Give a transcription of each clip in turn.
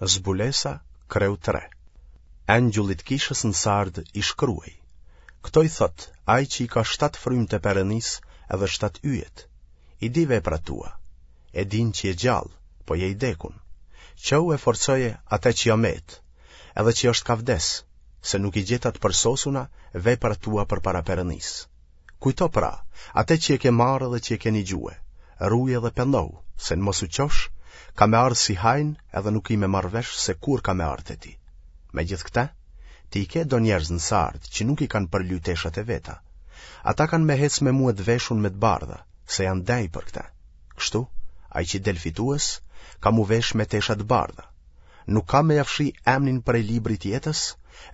Zbulesa, kreu 3. Engjullit kishës në Sardë i shkruaj. Këto i thotë, ai që i ka shtatë frymt e Perëndisë edhe shtatë yjet. I di veprat tua. E din që je gjallë, po je i dekun. Çohu e forcoje atë që ja met, edhe që është ka vdes, se nuk i gjeta të përsosuna veprat tua përpara Perëndisë. Kujto pra, atë që e ke marrë dhe që e ke nigjue, ruje dhe pendohu, se në mos u çosh, kam me ardhë si hajn edhe nuk ki me marrë vesh se kur kam me ardhë te ti. Megjithëkëtë, ti i ke do njerëz në Sardë që nuk i kanë përly teshat e veta. Ata kanë me hecë me mue të veshun me të bardha, se janë denjë për këtë. Kështu, ai që del fitues, ka m'u vesh me tesha të bardha. Nuk kam me ja fshi emnin prej librit të jetës,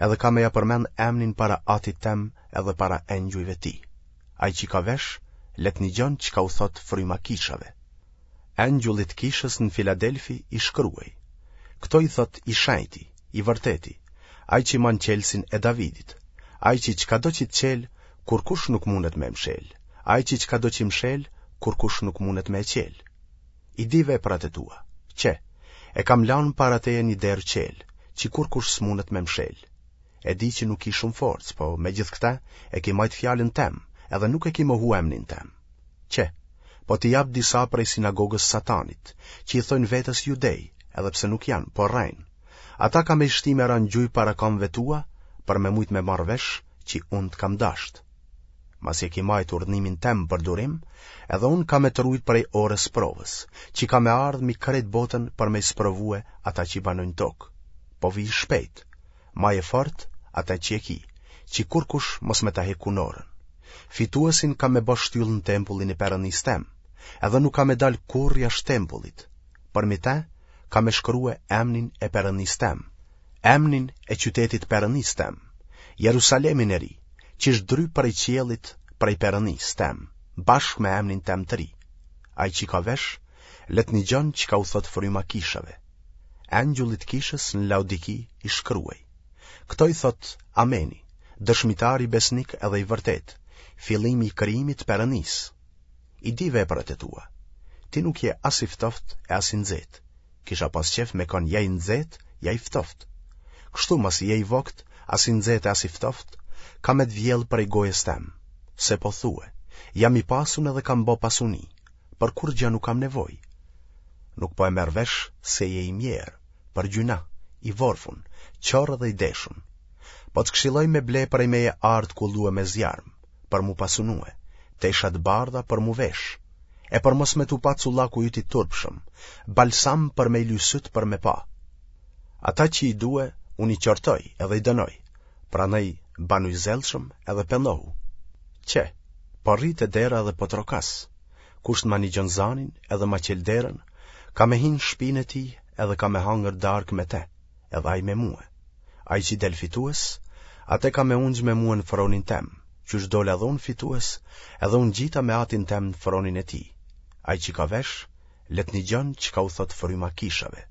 edhe kam me ja përmend emnin para Atit tem edhe para engjujve të tij. Ai që ka vesh, le të nigjon çka u thotë fryma kishave. Engjullit të kishës në Filadelfi i shkruaj. Këto i thotë i shenjti, i vërteti, ai që man çelësin e Davidit, ai që çkado që të çel, kurkush nuk mundet me mshel, ai që çkado që mshel, kurkush nuk mundet me e çel. I di veprat e tua, qe, e kam lanë para teje një derë çelë, që kurkush s'mundet me mshel. E di që nuk ki shumë forcë, po megjithëkëtë e ki majtë fjalën tem, edhe nuk e ki mohu emnin tem. Qe, po t'i jap disa prej sinagogës Satanit, që i thojnë vetes judej, edhe pse nuk janë, po rrejnë. Ata kam me i shti me ra në gjuj para kamëve tua, për me mujtë me marrë vesh që unë të kam dashtë. Masi e ki majtë urdhnimin tem për durim, edhe unë kam me të rujtë prej orës sprovës, që ka me ardhë mi krejt botën për me i sprovue ata që banojnë tokë. Po vij shpejt, Maje fort atë që e ki, që kurkush mos me ta hek kunorën. Fituesin kam me bo shtyllë në tempullin e Perëndisë tem, edhe nuk ka me dalë kurrë jashtë tempullit. Përmi te, kam me shkrue emnin e Perëndisë tem, emnin e qytetit Perëndisë tem, Jerusalemin e ri, që zdryp prej qiellit prej Perëndisë tem, bashkë me emnin tem të ri. Ai që ka vesh, le të nigjon çka u thotë fryma kishave. Engjullit të kishës në Laodiki i shkruaj. Këto i thotë Ameni, dëshmitari besnik edhe i vërtetë, fillimi i krijimit të Perëndisë. I di veprat e tua. Ti nuk je as i ftohtë e as i nxehtë. Kisha pas qejf me kon ja i nxehtë, ja i ftohtë. Kështu masi je i voktë, as i nxehtë e as i ftohtë, kam me të vjellë prej gojës tem. Se po thue, jam i pasun edhe kam bo pasuni, për kurrgjë nuk kam nevojë. Nuk po e merr vesh se je i mjerë, për gjynah, i vorfun, qorr dhe i deshun. Po të këshilloj me ble prej meje ar të kullue me zjarm, për m'u pasunue, tesha të bardha për m'u vesh, e për mos me t'u pa cullaku yt i turpshëm, balsam për me i ly sytë për me pa. Ata që i due, unë i qortoj edhe i dënoj, prandaj banu i zellshëm edhe pendohu. Qe, po rri te dera edhe po trokas, Kush të ma nigjon zanin edhe ma çel derën, kam me hi në shpinë e tij edhe kam me hangër darkë me te, edhe ai me mue. Ai që del fitues, atë kam me ungj me mue në fronin tem, qysh dola edhe unë fitues, edhe u ngjita me atin tem në fronin e tij. Ai që ka vesh, le të nigjon çka u thotë fryma kishave.